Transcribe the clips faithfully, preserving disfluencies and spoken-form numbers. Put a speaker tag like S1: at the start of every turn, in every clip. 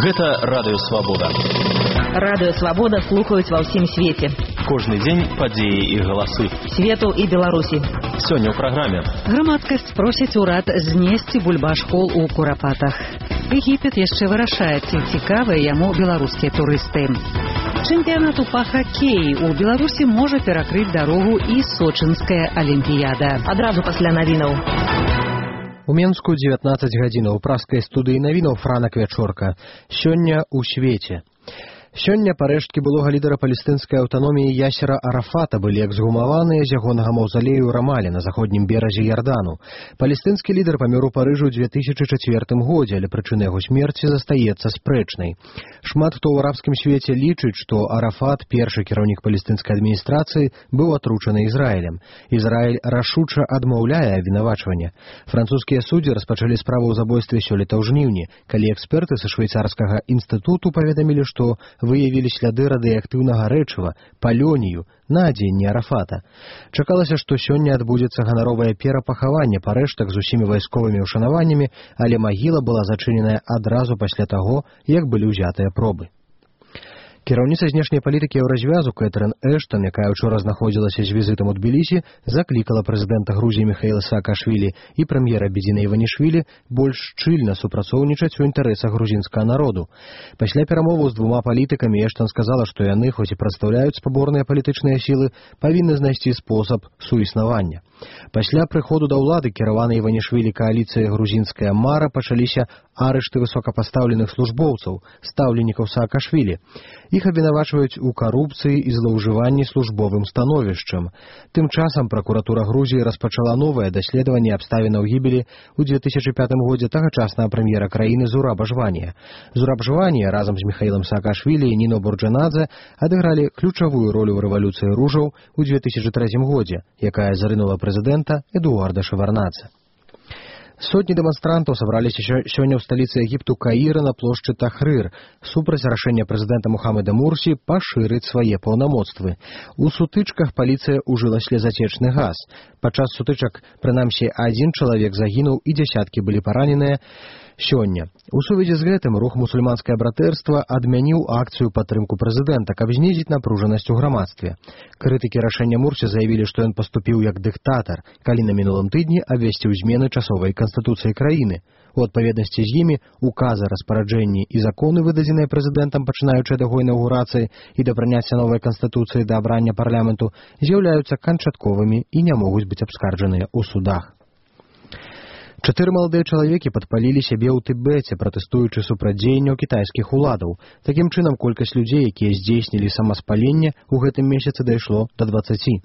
S1: Гэта Радыё Свабода.
S2: Радыё Свабода слухаюць ва ўсім свеце.
S1: Кожны дзень падзеі і галасы.
S2: Свету і Беларусі.
S1: Сёння ў праграме.
S3: Грамадскасць просіць урад знесці бульбашкол у Курапатах. Егіпет яшчэ вырашае, ці цікавыя яму беларускія турысты. Чэмпіянату па хакеі у Беларусі можа перакрыць дарогу і сочынская алімпіяда.
S2: Адразу пасля навінаў.
S4: У Менску дзевятнаццаць гадзінаў. Праскай студыі навінаў Франак Вячорка. Сёння ў свеце. Сёння парэшткі былога лідара палестынскай аўтаноміі Ясера Арафата былі эксгумаваныя з ягонага маўзалею ў Рамале на заходнім беразе Ярдану. Палестынскі лідар памёр у Парыжу ў дзве тысячы чацвёртым годзе, але прычына яго смерці застаецца спрэчнай. Шмат хто ў арабскім свеце лічыць, што Арафат, першы кіраўнік палестынскай адміністрацыі, быў атручаны Ізраілем. Ізраіль рашуча адмаўляе абвінавачванне. Французскія суддзі распачалі справу ў забойстве сёлета ў жніўні, калі эксперты са швейцарскага інстытуту паведамілі, што выявілі сляды радыеактыўнага рэчыва, палёнію, на адзенні Арафата. Чакалася, што сёння адбудзецца ганаровае перапахаванне парэштак з усімі вайсковымі ўшанаваннямі, але магіла была зачыненая адразу пасля таго, як былі ўзятыя пробы. Кіраўніца знешняй палітыкі Еўразвязу Кэтрын Эштан, якая ўчора знаходзілася з візітам у Тбілісі, заклікала прэзідэнта Грузіі Міхаіла Саакашвілі і прэм'ера Бедзіна Іванішвілі больш шчыльна супрацоўнічаць у інтарэсах грузінскага народу. Пасля перамоваў з двума палітыкамі Эштан сказала, што яны, хоць і прадстаўляюць спаборныя палітычныя сілы, павінны знайсці спосаб суіснавання. Пасля прыходу да ўлады кіраванай Іванішвілі кааліцыі грузінская мара пачаліся арышты высокапастаўленых службоўцаў, стаўленікаў Саакашвілі. Іх абвінавачваюць у карупцыі і злоўжыванні службовым становішчам. Тым часам пракуратура Грузіі распачала новае даследаванне абставінаў гібелі ў дзве тысячы пятым годзе тагачаснага прэм'ера краіны Зураба Жванія. Зураб Жванія разам з Міхаілам Саакашвілі і Ніно Бурджанадзе адыгралі ключавую ролю ў рэвалюцыі ружаў у дзве тысячы трэцім годзе, якая зарынула прэзідэнта Эдуарда Шеварнадзе. Сотні дэманстрантаў сабраліся сёння ў сталіцы Егіпту Каіра на плошчы Тахрыр супраць рашэння прэзідэнта Мухаммеда Мурсі пашырыць свае паўнамоцтвы. У сутычках паліцыя ўжыла слезацечны газ. Падчас сутычак, прынамсі, адзін чалавек загінуў і дзясяткі былі параненыя. Сёння. У сувязі з гэтым рух мусульманскае братэрства адмяніў акцыю падтрымку прэзідэнта, каб знізіць напружанасць у грамадстве. Крытыкі рашэння Мурсі заявілі, што ён паступіў як дыктатар, калі на мінулым тыдні абвясціў змены часовай канстытуцыі краіны. У адпаведнасці з імі указы, распараджэнні і законы, выдадзеныя прэзідэнтам, пачынаючы ад яго інаўгурацыі і да прыняцця новай канстытуцыі да абрання парламенту, з'яўляюцца канчатковымі і не могуць быць абскарджаныя ў судах. Чатыры маладыя чалавекі падпалілі сябе ў Тыбеце, пратэстуючы супраць дзеянняў кітайскіх уладаў. Такім чынам, колькасць людзей, якія здзейснілі самаспаленне, у гэтым месяцы дайшло да дваццаці.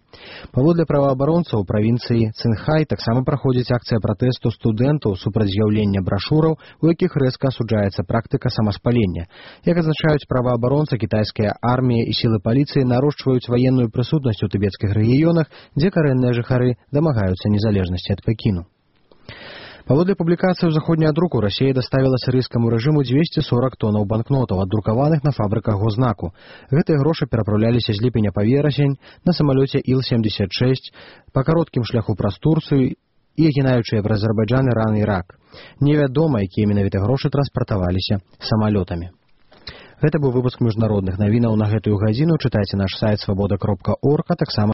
S4: Паводле праваабаронцаў правінцыі Цинхай таксама праходзіць акцыя пратэсту студэнтаў супраць з'яўлення брашураў, у якіх рэзка асуджаецца практыка самаспалення. Як адзначаюць праваабаронцы, кітайская армія і сілы паліцыі нарошчваюць ваенную прысутнасць у тыбецкіх рэгіёнах, дзе карэнныя жыхары дамагаюцца незалежнасці ад Пекіну. Паводле публікацыі ў заходняя друку Расія даставіла сірыйскаму рэжыму дзвесце сорак тонаў банкнотаў, аддрукаваных на фабрыках гознаку. Гэтыя грошы перапраўляліся з ліпеня па верасень на самалёце Іл семдзесят шэсць па кароткім шляху праз Турцыю і агінаючыя праз Азербайджан, Іран і Ірак. Невядома, якія менавіта грошы транспартаваліся самалётамі. Гэта быў выпуск міжнародных навінаў на гэтую гадзіну. Чытайце наш сайт свабода кропка орг, а таксама